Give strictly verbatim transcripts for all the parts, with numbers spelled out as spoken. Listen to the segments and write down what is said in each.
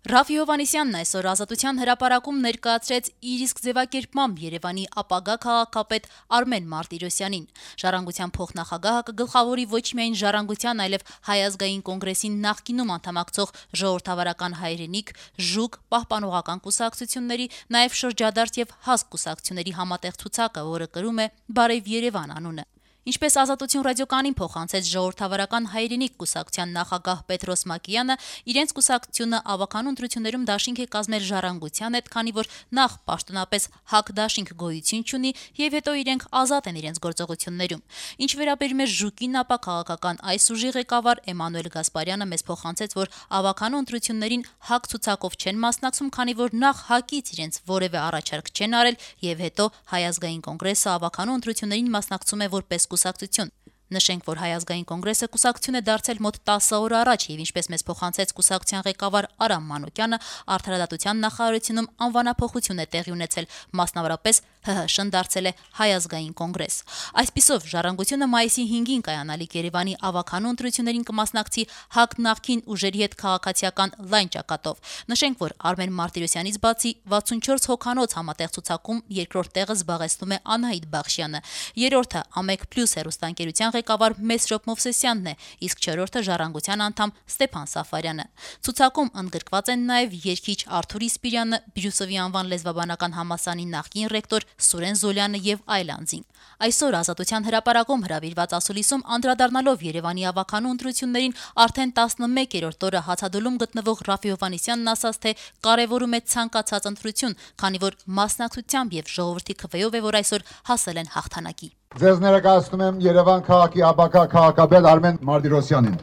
Ռաֆի Հովհաննիսյանն այսօր Ազատության հրապարակում ներկայացրեց իր իսկ ձևակերպմամբ Երևանի ապագա քաղաքապետ Արմեն Մարտիրոսյանին։ Ժառանգության փոխնախագահը կգլխավորի ոչ միայն Ժառանգության, այլև Հայ ազգային կոնգրեսին նախկինում անդամակցող Ժողովրդավարական հայրենիք, ԺՈՒԿ, Պահպանողական կուսակցությունների, նաև շրջադարձ եւ հասկ կուսակցությունների համատեղ ցուցակը, որը կրում է «Բարև Երևան» անունը։ Ինչպես Ազատություն ռադիոկայանին փոխանցեց Ժողովրդավարական հայրենիք կուսակցության նախագահ Պետրոս Մակյանը, իրենց կուսակցությունը ավականու ընտրություններում դաշինք է կազմել Ժառանգության հետ, քանի որ նախ պաշտոնապես ՀԱԿ դաշինք գոյություն չունի եւ հետո իրենք ազատ են իրենց գործողություններում։ Ինչ վերաբերում է ԺՈՒԿ-ին, ապա քաղաքական այս ուժի ղեկավար Էմանուել Գասպարյանը մեզ փոխանցեց, որ ավականու ընտրություններին ՀԱԿ ցուցակով չեն մասնակցում, քանի որ նախ ՀԱԿ-ից իրենց որևէ առաջարկ չեն արել եւ հետո Հայ ազգային կոնգրեսը ավականու ընտրություններին մասնակցում է որպես կուսակցություն։ Նշենք, որ Հայ ազգային կոնգրեսը կուսակցություն է դարձել մոտ տասը օր առաջ եւ ինչպես մեզ փոխանցեց կուսակցության ղեկավար Արամ Մանուկյանը, Արդարադատության նախարարությունում անվանափոխություն է տեղի ունեցել, մասնավորապես ՀՀՇ-ն դարձել է Հայ ազգային կոնգրես։ Այսպիսով Ժառանգությունը մայիսի հինգին կայանալիք Երևանի ավականու ընտրություններին կմասնակցի ՀԱԿ նախկին ուժերի հետ քաղաքացիական լայն ճակատով։ Նշենք, որ Արմեն Մարտիրոսյանից բացի վաթսունչորս հոգանոց համատեղ ցուցակում երկրորդ տեղը զբաղեցնում է Անահիտ Բախշյանը, երրորդը Ամեկ Պլյուս հեռուստաընկերության ղեկավար Մեսրոպ Մովսեսյանն է, իսկ չորրորդը Ժառանգության անդամ Ստեփան Սաֆարյանը։ Ցուցակում ընդգրկված են նաև երգիչ Արթուր Իսպիրյանը, Բիրուսովի անվան լեզվաբանական համալսարանի նախկին ռեկտոր Սուրեն Զոլյանը եւ այլ անձինք։ Այսօր Ազատության հրապարակում հրավիրված ասուլիսում անդրադառնալով Երևանի ավականու ընտրություններին արդեն տասնմեկերորդ օրը հացադուլում գտնվող Ռաֆի Հովհաննիսյանն ասաց, թե կարևորում է ցանկացած ընտրություն, քանի որ մասնակցությամբ եւ ժողովրդի քվեով է, որ այսօր հասել են հաղթանակի։ Ձեզ ներկայացնում եմ Երևան քաղաքի ապագա քաղաքապետ Արմեն Մարտիրոսյանին։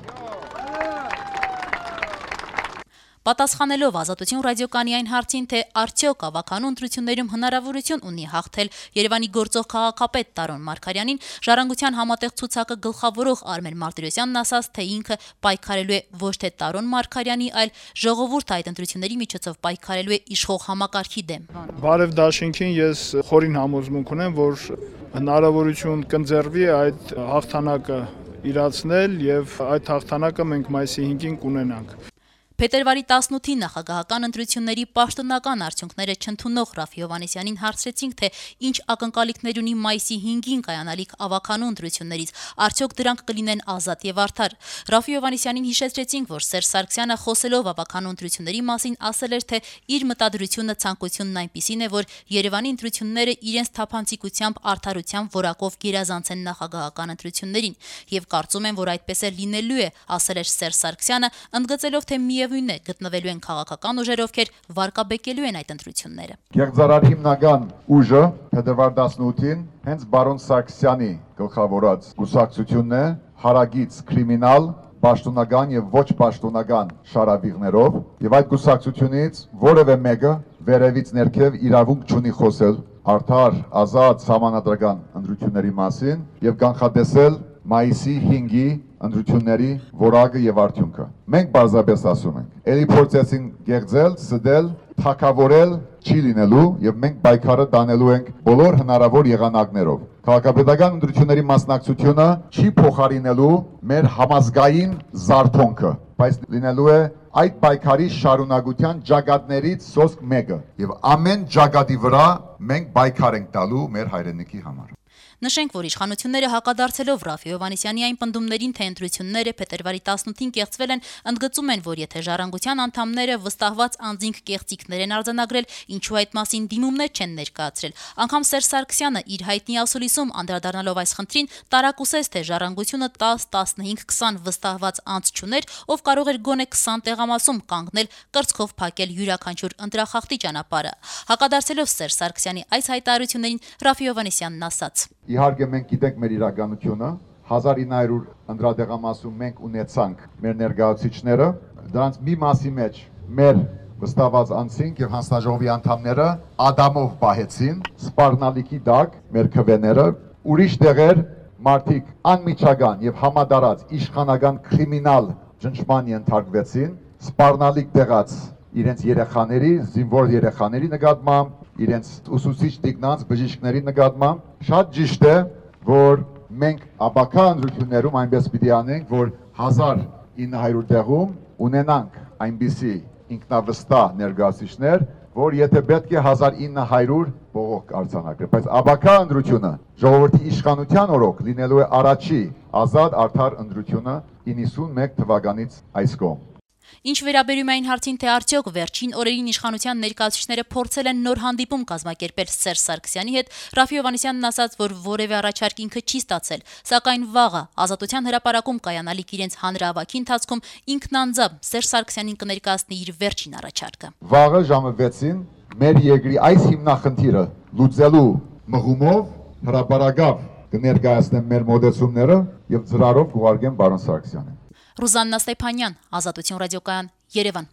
Պատասխանելով Ազատություն ռադիոկայանի այն հարցին, թե արդյոք ավականու ընտրություններում հնարավորություն ունի հաղթել Երևանի գործող քաղաքապետ Տարոն Մարգարյանին, Ժառանգության համատեղ ցուցակը գլխավորող Արմեն Մարտիրոսյանն ասաց, թե ինքը պայքարելու է ոչ թե Տարոն Մարգարյանի, այլ ժողովուրդը այդ ընտրությունների միջոցով պայքարելու է իշխող համակարգի դեմ։ Բարև դաշինքին ես խորին համոզմունք ունեմ, որ հնարավորություն կընձեռվի այդ հաղթանակը իրացնել եւ այդ հաղթանակը մենք մայիսի հինգին կունենանք։ Փետրվարի տասնութի նախագահական ընտրությունների պաշտոնական արդյունքները չընդունող Ռաֆի Հովհաննիսյանին հարցրեցինք, թե ինչ ակնկալիքներ ունի մայիսի հինգին կայանալիք ավականու ընտրություններից, արդյոք դրանք կլինեն ազատ եւ արդար։ Ռաֆի Հովհաննիսյանին հիշեցրեցինք, որ Սերժ Սարգսյանը խոսելով ավականու ընտրությունների մասին ասել էր, թե իր մտադրությունը ցանկությունն այնպիսին է, որ Երևանի ընտրությունները իրենց թափանցիկությամբ, արդարությամբ, որակով գերազանցեն նախագահական ընտրություններին, եւ կարծում եմ, որ այդպես է լինելու է, ասել էր Սերժ Սարգսյանը, ընդգծելով, թե միևնույն է գտնվելու են քաղաքական ուժեր, ովքեր վարկաբեկելու են այդ ընտրությունները։ Գեղձարար հիմնական ուժը փետրվար տասնութին հենց բարոն Սարգսյանի գլխավորած կուսակցությունն է, հարագից կրիմինալ, պաշտոնական եւ ոչ պաշտոնական շարավիղներով, եւ այդ կուսակցությունից որևէ մեկը վերևից ներքև իրավունք չունի խոսել արդար, ազատ, համանadrական ընտրությունների մասին եւ կանխատեսել մայիսի հինգի ընտրությունների որակը եւ արդյունքը։ Մենք բարձրապես ասում ենք, ելի փորձեցին գեղձել, սդել, թակավորել չի լինելու եւ մենք պայքարը տանելու ենք բոլոր հնարավոր եղանակներով։ Քաղաքապետական ընտրությունների մասնակցությունը չի փոխարինելու մեր համազգային զարթոնքը, բայց լինելու է այդ պայքարի շարունակության ջագատներից սոսկ մեկը եւ ամեն ջագատի վրա մենք պայքար ենք տալու մեր հայրենիքի համար։ Նշենք, որ իշխանությունները հակադարձելով Ռաֆի Հովհաննիսյանի այն պնդումներին, թե ընտրությունները փետրվարի տասնութին կեղծվել են, ընդգծում են, որ եթե Ժառանգության անդամները վստահված անձինք կեղծիքներ են արձանագրել, ինչու այդ մասին դիմումներ չեն ներկայացրել։ Անգամ Սերժ Սարգսյանը իր հայտնի ասուլիսում անդրադառնալով այս խնդրին տարակուսեց, թե Ժառանգությունը տաս, տասնհինգ, քսան վստահված անձ չուներ, ով կարող էր գոնե քսան տեղամասում կանգնել, կրծքով փակել յուրաքանչյուր ընտրախախտի ճանապարհը։ Հակադարձելով Սերժ Սարգսյանի այս հայտարարություններին Ռաֆի Հովհաննիսյանն ասաց. Իհարկե մենք գիտենք մեր իրականությունը, հազար ինը հարյուր ընտրատեղամասում մենք ունեցանք մեր ներկայացուցիչները, դրանց մի մասի մեջ մեր վստահված անձինք եւ հանձնաժողովի անդամները ադամով պահեցին, սպառնալիքի դակ մեր քվեները, ուրիշ տեղեր մարդիկ անմիջական եւ համադարած իշխանական կրիմինալ ճնշման ենթարկվեցին, սպառնալիք տեղած իրենց երեխաների, զինվոր երեխաների նկատմամբ, իրենց ուսուցիչ տիկնանց բժիշկների նկատմամբ շատ ճիշտ է, որ մենք ապագա ընտրություններում այնպես պիտի անենք, որ հազար ինը հարյուր տեղում ունենանք այնպիսի ինքնավստահ ներկայացուցիչներ, որ եթե պետք է հազար ինը հարյուր բողոք արձանագրել, բայց աբակա ընտրությունը ժողովրդի իշխանության օրոք լինելու է առաջի ազատ արդար ընտրությունը իննսունմեկ թվականից այս կողմ։ Ինչ վերաբերում է այն հարցին, թե արդյոք վերջին օրերին իշխանության ներկայացուցիչները փորձել են նոր հանդիպում կազմակերպել Սերժ Սարգսյանի հետ, Ռաֆի Հովհաննիսյանն ասաց, որ որևէ առաջարկ ինքը չի ստացել, սակայն վաղը Ազատության հրապարակում կայանալիք իրենց հանրահավաքի ընթացքում ինքն անձամբ Սերժ Սարգսյանին կներկայացնի իր վերջին առաջարկը։ Վաղը ժամը վեցին մեր երկրի այս հիմնախնդիրը լուծելու մղումով հրապարակավ կներկայացնեմ մեր մոդեցումները եւ ծրարով կուղարկեմ պարոն Սարգսյանին։ Ռուզաննա Ստեփանյան, Ազատություն ռադիոկայան, Երևան։